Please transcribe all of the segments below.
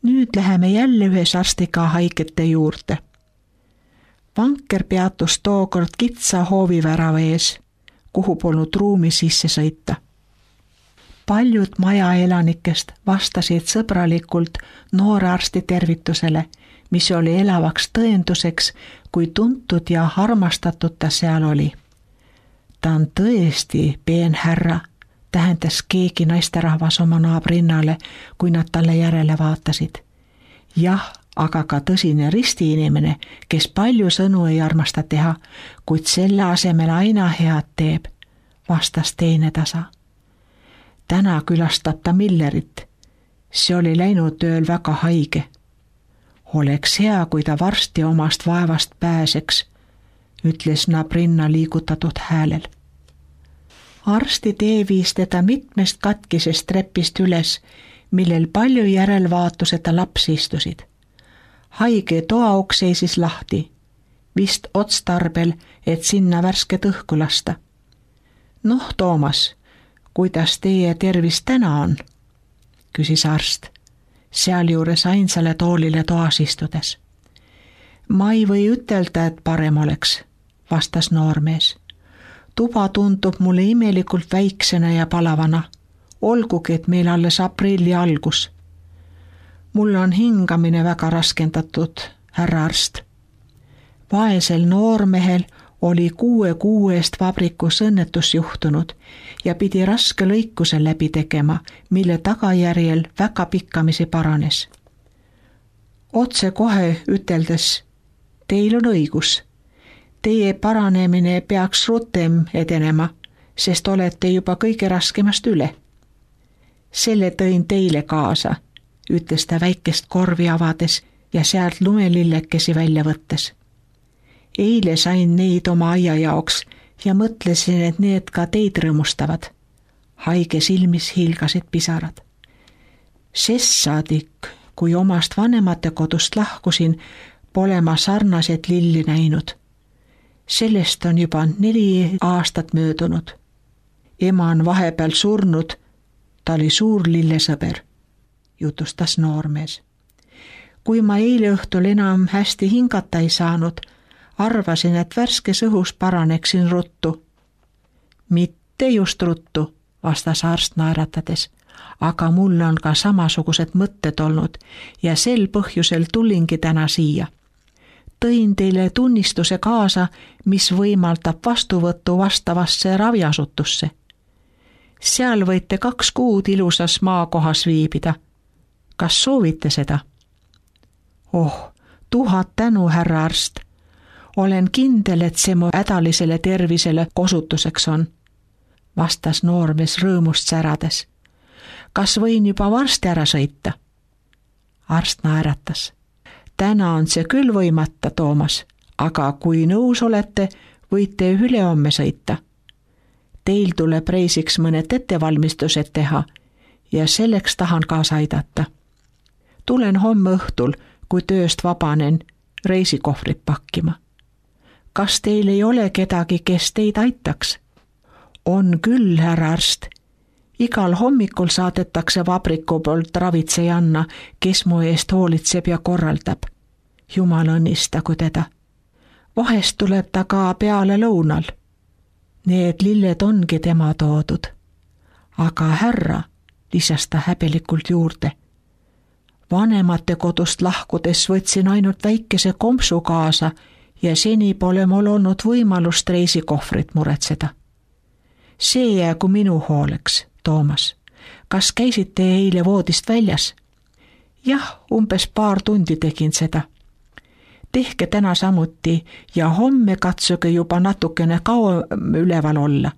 Nüüd läheme jälle ühes arstiga haigete juurde. Vanker peatus tookord kitsa hoovivärava ees, kuhu polnud ruumi sisse sõita. Paljud maja elanikest vastasid sõbralikult noore arsti tervitusele, mis oli elavaks tõenduseks, kui tuntud ja armastatud ta seal oli. Ta on tõesti peenhärra, tähendas keegi naisterahvas oma naabrinnale, kui nad talle järele vaatasid. Jah, aga ka tõsine ristiinimene, kes palju sõnu ei armasta teha, kuid selle asemel aina head teeb, vastas teine tasa. Täna külastab ta Millerit. See oli läinud tööl väga haige. Oleks hea, kui ta varsti omast vaevast pääseks, ütles nabrinna liigutatud häälel. Arsti tee viis teda mitmest katkisest trepist üles, millel palju järelvaatuseta lapsi istusid. Haige toauks seisis lahti, vist otstarbel, et sinna värsket õhku lasta. Noh, Toomas, kuidas teie tervis täna on? Küsis arst, sealjuures ainsale toolile toas istudes. Ma ei või ütelda, et parem oleks, vastas noormees. Tuba tundub mulle imelikult väiksena ja palavana, olgugi, et meil alles aprilli algus. Mul on hingamine väga raskendatud, härra arst. Vaesel noormehel oli 6 kuu eest vabrikus õnnetus juhtunud ja pidi raske lõikuse läbi tegema, mille tagajärjel väga pikkamisi paranes. Otse kohe üteldes, teil on õigus. Teie paranemine peaks rutem edenema, sest olete juba kõige raskemast üle. Selle tõin teile kaasa, ütles ta väikest korvi avades ja sealt lumelillekesi välja võttes. Eile sain neid oma aia jaoks ja mõtlesin, et need ka teid rõõmustavad. Haige silmis hiilgasid pisarad. Sest saadik, kui omast vanemate kodust lahkusin, pole ma sarnaseid lilli näinud. Sellest on juba 4 aastat möödunud. Ema on vahepeal surnud, ta oli suur lillesõber, jutustas noormees. Kui ma eile õhtul enam hästi hingata ei saanud, arvasin, et värskes õhus paraneksin ruttu. Mitte just ruttu, vastas arst naeratades, aga mul on ka samasugused mõtted olnud ja sel põhjusel tulingi täna siia. Tõin teile tunnistuse kaasa, mis võimaldab vastuvõttu vastavasse raviasutusse. Seal võite 2 kuud ilusas maakohas viibida. Kas soovite seda? Oh, 1000 tänu, härra arst. Olen kindel, et see mu hädalisele tervisele kosutuseks on, vastas noormees rõõmust särades. Kas võin juba varsti ära sõita? Arst naeratas. Täna on see küll võimata, Toomas, aga kui nõus olete, võite ülehomme sõita. Teil tuleb reisiks mõned ettevalmistused teha ja selleks tahan kaasa aidata. Tulen homme õhtul, kui tööst vabanen, reisikohvrit pakkima. Kas teil ei ole kedagi, kes teid aitaks? On küll, härra arst. Igal hommikul saadetakse vabriku poolt ravitsejanna, kes mu eest hoolitseb ja korraldab. Jumal õnnistagu teda. Vahest tuleb ta ka peale lõunal. Need lilled ongi tema toodud. Aga härra, lisas ta häbelikult juurde. Vanemate kodust lahkudes võtsin ainult väikese kompsu kaasa ja seni pole mul olnud võimalust reisikohvrit muretseda. See jäägu minu hooleks, Toomas. Kas käisite eile voodist väljas? Jah, umbes 2 tundi tegin seda. Tehke täna samuti ja homme katsuge juba natukene kauem üleval olla.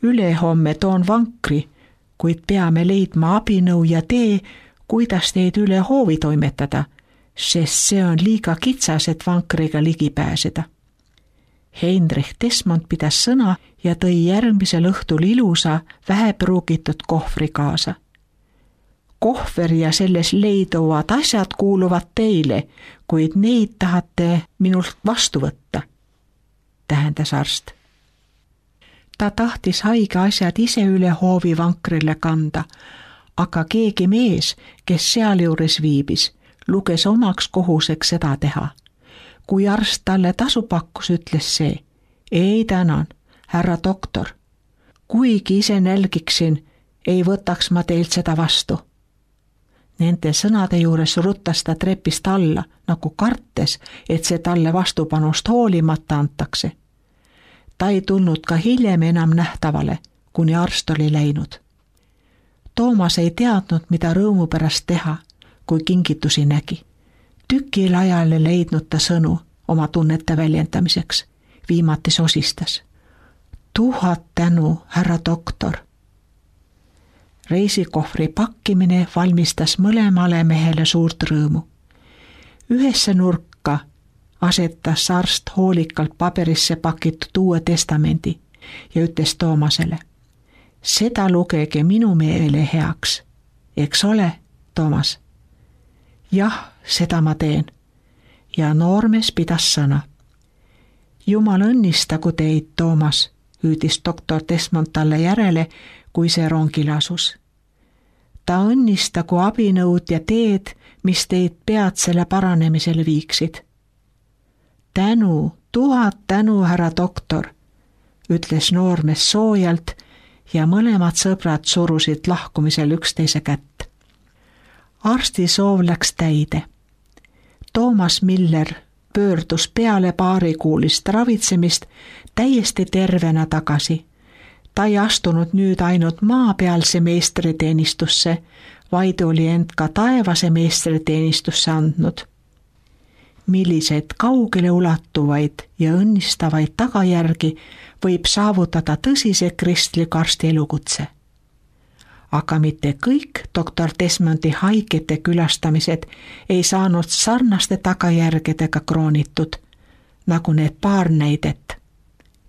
Ülehomme toon vankri, kuid peame leidma abinõu ja tee, kuidas teid üle hoovi toimetada, sest see on liiga kitsas, et vankriga ligi pääseda. Heinrich Desmond pidas sõna ja tõi järgmisel õhtul ilusa, vähepruugitud kohvri kaasa. Kohver ja selles leiduvad asjad kuuluvad teile, kuid neid tahate minult vastu võtta, tähendas arst. Ta tahtis haige asjad ise üle hoovi vankrile kanda, aga keegi mees, kes sealjuures viibis, luges omaks kohuseks seda teha. Kui arst talle tasu pakkus, ütles see, ei tänan, härra doktor. Kuigi ise nälgiksin, ei võtaks ma teilt seda vastu. Nende sõnade juures ruttas ta trepist alla, nagu kartes, et see talle vastupanust hoolimata antakse. Ta ei tulnud ka hiljem enam nähtavale, kuni arst oli läinud. Toomas ei teadnud, mida rõõmu pärast teha, kui kingitusi nägi. Tükil ajal ei leidnud ta sõnu oma tunnete väljendamiseks. Viimati sosistas. 1000 tänu, härra doktor. Reisikohvri pakkimine valmistas mõlemale mehele suurt rõõmu. Ühesse nurka asetas arst hoolikalt paberisse pakitud Uue Testamendi ja ütles Toomasele, seda lugege minu meele heaks. Eks ole, Toomas? Jah, seda ma teen. Ja noormees pidas sõna. Jumal õnnistagu teid, Toomas, hüüdis doktor Desmond talle järele, kui see rongile asus. Ta õnnistagu abinõud ja teed, mis teid peatsele paranemisele viiksid. Tänu, 1000 tänu, härra doktor, ütles noormees soojalt ja mõlemad sõbrad surusid lahkumisel üksteise kätt. Arsti soov läks täide. Toomas Miller pöördus peale paarikuulist ravitsemist täiesti tervena tagasi. Ta ei astunud nüüd ainult maapealse meestriteenistusse, vaid oli end ka taevase meestriteenistusse andnud. Milliseid kaugele ulatuvaid ja õnnistavaid tagajärgi võib saavutada tõsise kristliku arsti elukutse. Aga mitte kõik doktor Desmondi haigete külastamised ei saanud sarnaste tagajärgedega kroonitud, nagu need paar näidet.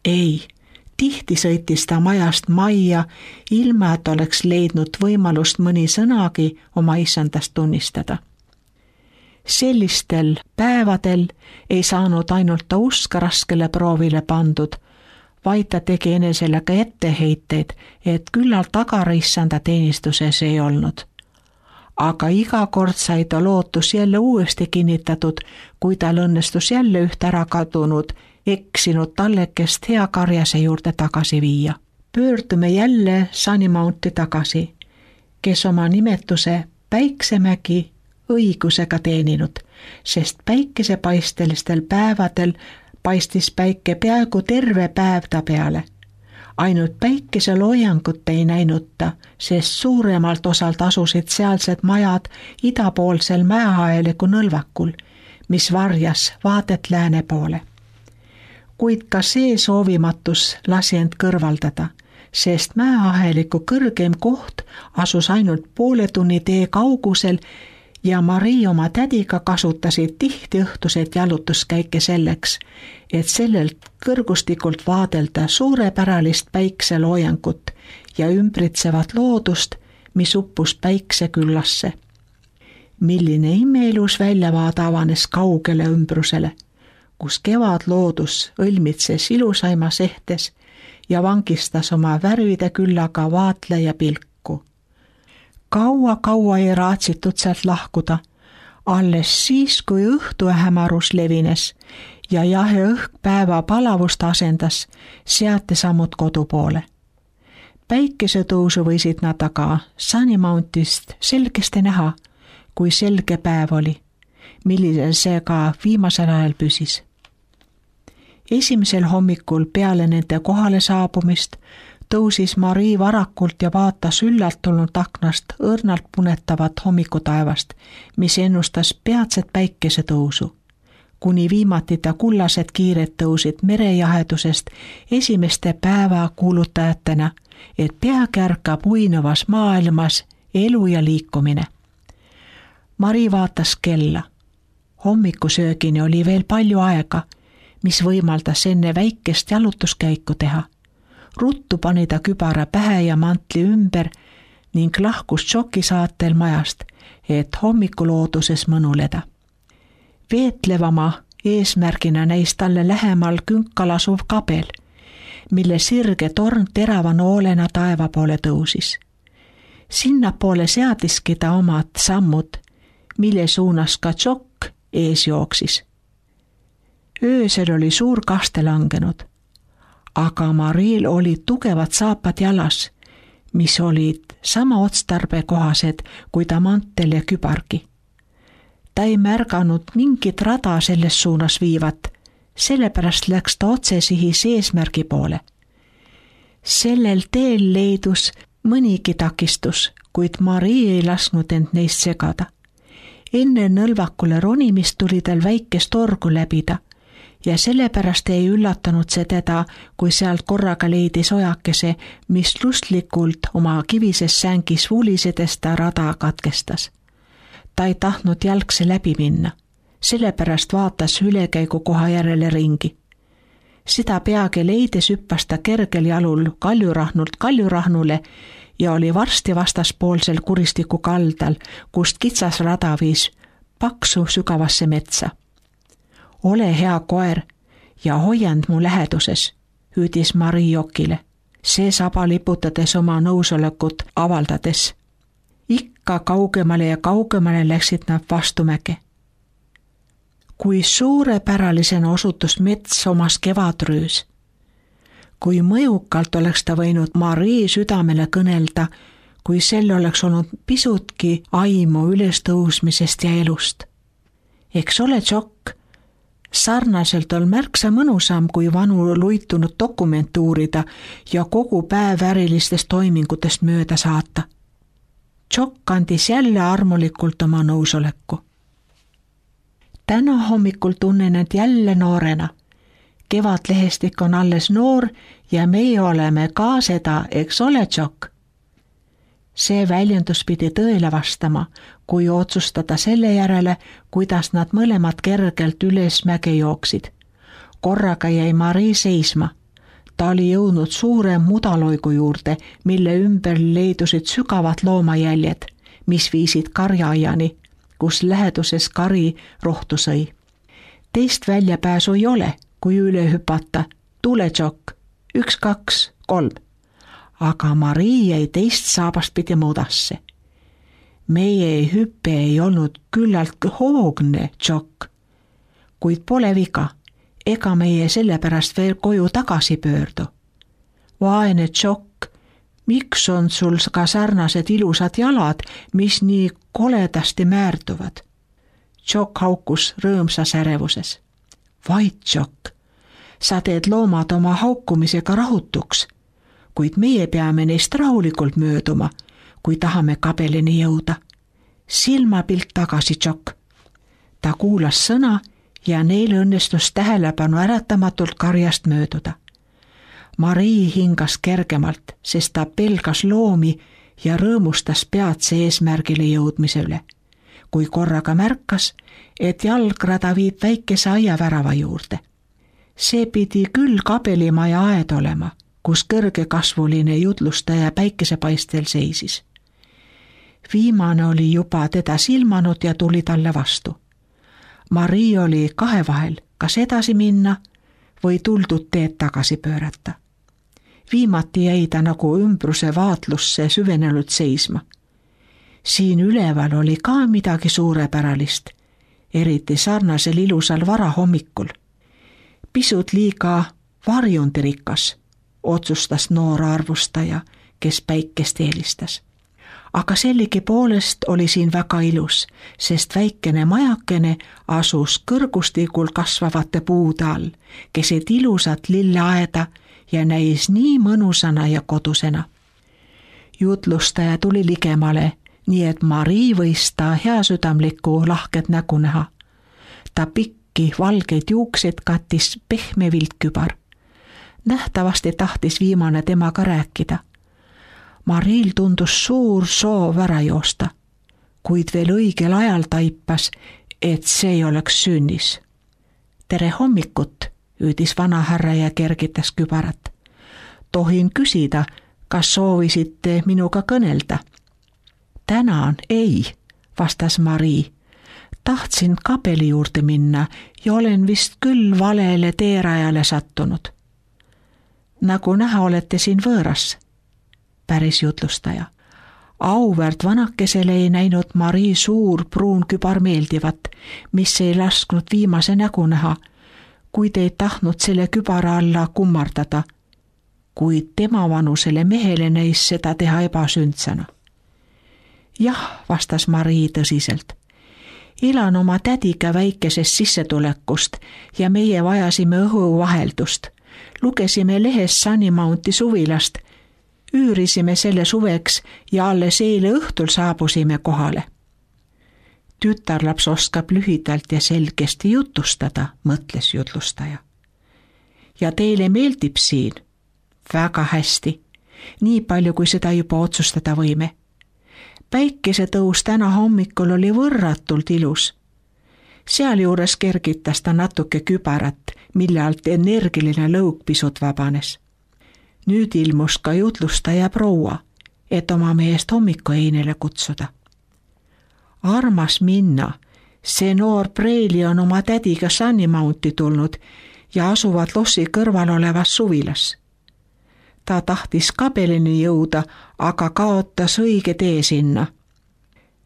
Ei, tihti sõitis ta majast majja, ilma et oleks leidnud võimalust mõni sõnagi oma isandast tunnistada. Sellistel päevadel ei saanud ainult ta usk raskele proovile pandud, vaid ta tegi enesele ka etteheiteid, et küllalt tagareissanda teenistuses ei olnud. Aga iga kord sai ta lootus jälle uuesti kinnitatud, kui tal õnnestus jälle üht ära kadunud, eksinud tallekest hea karjase juurde tagasi viia. Pöördume jälle Sunny Mounti tagasi, kes oma nimetuse Päiksemägi õigusega teeninud, sest päikesepaistelistel päevadel paistis päike peaaegu terve päev ta peale. Ainult päikeseloojangut ei näinud ta, sest suuremalt osalt asusid sealsed majad idapoolsel mäehaeliku nõlvakul, mis varjas vaadet lääne poole. Kuid ka see soovimatus lasi end kõrvaldada, sest mäeaheliku kõrgem koht asus ainult poole tunni tee kaugusel ja Marii oma tädiga kasutasid tihti õhtuseid jalutuskäike selleks, et sellelt kõrgustikult vaadelda suurepäralist päikseloojangut ja ümbritsevat loodust, mis uppus päikseküllasse. Milline imeilus väljavaade avanes kaugele ümbrusele, kus kevadloodus õlmitses ilusaimas ehtes ja vangistas oma värvide küllaga vaatleja pilku. Kaua ei raatsitud sealt lahkuda, alles siis, kui õhtuhämarus levines ja jahe õhk päeva palavust asendas, seati sammud kodu poole. Päikesetõusu võisid nad aga Sunny Mountist selgesti näha, kui selge päev oli, millisel see ka viimasel ajal püsis. Esimesel hommikul peale nende kohale saabumist tõusis Marii varakult ja vaatas üllalt tulnud aknast õrnalt punetavat hommikutaevast, mis ennustas peatset päikesetõusu. Kuni viimati ta kullased kiired tõusid merejahedusest esimeste päeva kuulutajatena, et peagi ärkab uinuvas maailmas elu ja liikumine. Marii vaatas kella. Hommikusöögini oli veel palju aega, mis võimaldas enne väikest jalutuskäiku teha. Ruttu pani ta kübara pähe ja mantli ümber ning lahkus šokisaatel majast, et hommikulooduses mõnuleda. Veetlevama eesmärgina näis talle lähemal künkal asuv kabel, mille sirge torn terava noolena taeva poole tõusis. Sinnapoole seatiski ta omad sammud, mille suunas ka Jock ees jooksis. Öösel oli suur kaste langenud, aga Mariel olid tugevad saapad jalas, mis olid sama otstarbekohased kui ta mantel ja kübargi. Ta ei märganud mingit rada selles suunas viivat, sellepärast läks ta otsesihis eesmärgi poole. Sellel teel leidus mõnigi takistus, kuid Marie ei lasknud end neist segada. Enne nõlvakule ronimist tuli tal väikest torgu läbida ja sellepärast ei üllatanud see teda, kui sealt korraga leidis ojakese, mis lustlikult oma kivises sängis vulisedes ta rada katkestas. Ta ei tahtnud jalgse läbi minna, sellepärast vaatas ülekäigu koha järele ringi. Seda peagi leides hüppas ta kergel jalul kaljurahnult kaljurahnule ja oli varsti vastaspoolsel kuristiku kaldal, kust kitsas rada viis paksu sügavasse metsa. Ole hea koer ja hoiand mu läheduses, hüüdis Marie Jockile, see saba liputades oma nõusolekut avaldades. Ikka kaugemale ja kaugemale läksid nad vastumäge. Kui suurepäralisena osutus mets omas kevadröös. Kui mõjukalt oleks ta võinud Marie südamele kõnelda, kui sel oleks olnud pisutki aimu ülestõusmisest ja elust. Eks ole, Jock, sarnaselt on märksa mõnusam kui vanu luitunud dokumente uurida ja kogu päev ärilistest toimingutest mööda saata. Jock andis jälle armulikult oma nõusoleku. Täna hommikul tunnen end jälle noorena. Kevadlehestik on alles noor ja meie oleme ka seda, eks ole, Jock? See väljendus pidi tõele vastama, kui otsustada selle järele, kuidas nad mõlemad kergelt üles mäge jooksid. Korraga jäi Marie seisma. Ta oli jõudnud suure mudaloigu juurde, mille ümber leidusid sügavad loomajäljed, mis viisid karjaaiani, kus läheduses kari rohtu sõi. Teist väljapääsu ei ole, kui üle hüpata. Tule, Jock, 1, 2, 3. Aga Marie jäi teist saabast pidi mudasse. Meie hüppe ei olnud küllalt hoogne, Jock. Kuid pole viga, ega meie sellepärast veel koju tagasi pöördu. Vaene Jock, miks on sul ka sarnased ilusad jalad, mis nii koledasti määrduvad? Jock haukus rõõmsas ärevuses. Vaid, Jock, sa teed loomad oma haukumisega rahutuks, kuid meie peame neist rahulikult mööduma, kui tahame kabelini jõuda. Silmapilt tagasi, Jock. Ta kuulas sõna ja neil õnnestus tähelepanu äratamatult karjast mööduda. Marie hingas kergemalt, sest ta pelgas loomi ja rõõmustas peatse eesmärgile jõudmise üle, kui korraga märkas, et jalgrada viib väikese aiavärava juurde. See pidi küll kabelimaja aed olema, kus kõrgekasvuline jutlustaja päikesepaistel seisis. Viimane oli juba teda silmanud ja tuli talle vastu. Marie oli kahe vahel, kas edasi minna või tuldud teed tagasi pöörata. Viimati jäi ta nagu ümbruse vaatlusse süvenenud seisma. Siin üleval oli ka midagi suurepäralist, eriti sarnasel ilusal varahommikul. Pisut liiga varjundirikas, otsustas noor arvustaja, kes päikest eelistas. Aga sellegi poolest oli siin väga ilus, sest väikene majakene asus kõrgustikul kasvavate puude all, keset ilusat lilleaeda ja näis nii mõnusana ja kodusena. Jutlustaja tuli ligemale, nii et Marie võis ta heasüdamlikku lahket nägu näha. Ta pikki valgeid juukseid kattis pehme viltkübar. Nähtavasti tahtis viimane temaga rääkida. Mariel tundus suur soov ära joosta, kuid veel õigel ajal taipas, et see ei oleks sünnis. Tere hommikut, hüüdis vanahärra ja kergitas kübarat. Tohin küsida, kas soovisite minuga kõnelda? Tänan, ei, vastas Marie. Tahtsin kabeli juurde minna ja olen vist küll valele teerajale sattunud. Nagu näha olete siin võõras, päris jutlustaja. Auväärt vanakesele ei näinud Marii suur pruun kübar meeldivat, mis ei lasknud viimase nägu näha, kuid ei tahtnud selle kübara alla kummardada, kuid tema vanusele mehele näis seda teha ebasündsana. Jah, vastas Marii tõsiselt. Elan oma tädiga väikesest sissetulekust ja meie vajasime õhuvaheldust. Lugesime lehest Sunny Mounti suvilast, üürisime selle suveks ja alles eile õhtul saabusime kohale. Tütarlaps oskab lühidalt ja selgesti jutustada, mõtles jutlustaja. Ja teile meeldib siin? Väga hästi, nii palju kui seda juba otsustada võime. Päikesetõus täna hommikul oli võrratult ilus. Sealjuures kergitas ta natuke kübarat, mille alt energiline lõug pisut vabanes. Nüüd ilmus ka jutlustaja proua, et oma meest hommikueinele kutsuda. Armas minna, see noor preili on oma tädiga Sunny Mounti tulnud ja asuvad lossi kõrval olevas suvilas. Ta tahtis kabelini jõuda, aga kaotas õige tee sinna.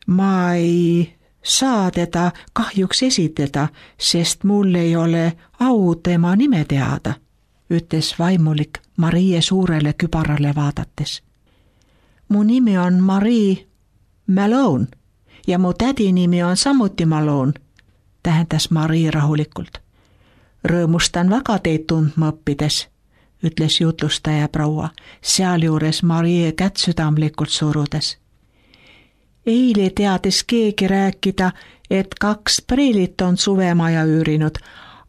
Ma ei saa teda kahjuks esitada, sest mul ei ole au tema nime teada, ütles vaimulik Marie suurele kübarale vaadates. Mu nimi on Marie Malone ja mu tädi nimi on samuti Malone, tähendas Marie rahulikult. Rõõmustan väga teid tundma õppides, ütles jutlustaja proua, sealjuures Marie kätt südamlikult surudes. Eile teadis keegi rääkida, et 2 preelit on suvemaja üürinud,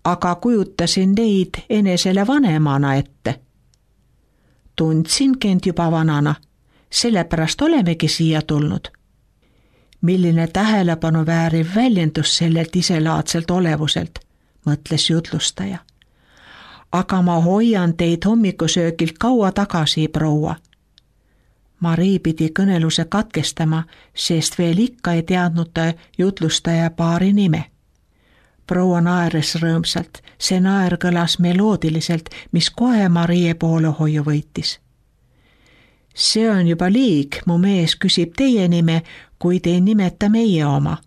aga kujutasin neid enesele vanemana ette. Tundsin end juba vanana, sellepärast olemegi siia tulnud. Milline tähelepanu vääriv väljendus sellelt iselaadselt olevuselt, mõtles jutlustaja. Aga ma hoian teid hommikusöögilt kaua tagasi, proua. Marii pidi kõneluse katkestama, sest veel ikka ei teadnud ta jutlustaja paari nime. Proua naeres rõõmsalt, see naer kõlas meloodiliselt, mis kohe Marie poolehoiu võitis. See on juba liig, mu mees küsib teie nime, kuid ei nimeta meie oma.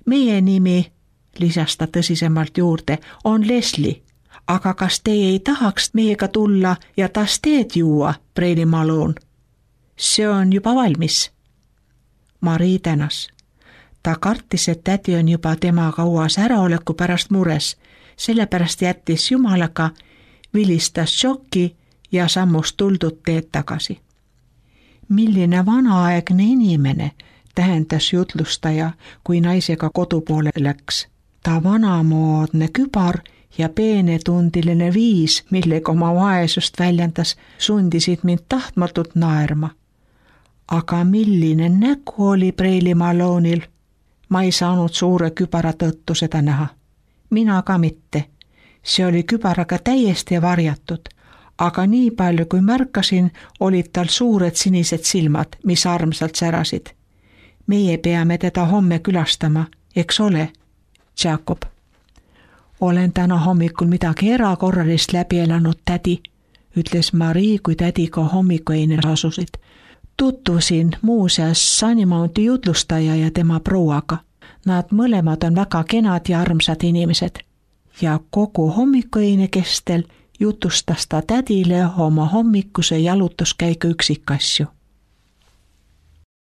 Meie nimi, lisas ta tõsisemalt juurde, on Leslie. Aga kas teie ei tahaks meiega tulla ja taas teed juua, preili Malone? See on juba valmis. Marii tänas. Ta kartis, et tädi on juba tema kauas äraoleku pärast mures, sellepärast jättis jumalaga, vilistas šoki ja sammus tuldud teed tagasi. Milline vanaaegne inimene, tähendas jutlustaja, kui naisega kodu poole läks. Ta vanamoodne kübar ja peenetundiline viis, millega oma vaesust väljendas, sundisid mind tahtmatult naerma. Aga milline nägu oli preili Malone'il? Ma ei saanud suure kübara tõttu seda näha. Mina ka mitte. See oli kübaraga täiesti varjatud, aga nii palju kui märkasin, olid tal suured sinised silmad, mis armsalt särasid. Meie peame teda homme külastama, eks ole, Jacob? Olen täna hommikul midagi erakorralist läbi elanud, tädi, ütles Marie, kui tädiga hommikueine asusid. Tutvusin muuseas Sunny Mounti jutlustaja ja tema prouaga. Nad mõlemad on väga kenad ja armsad inimesed. Ja kogu hommikueine kestel jutustas ta tädile oma hommikuse jalutuskäigu üksikasju.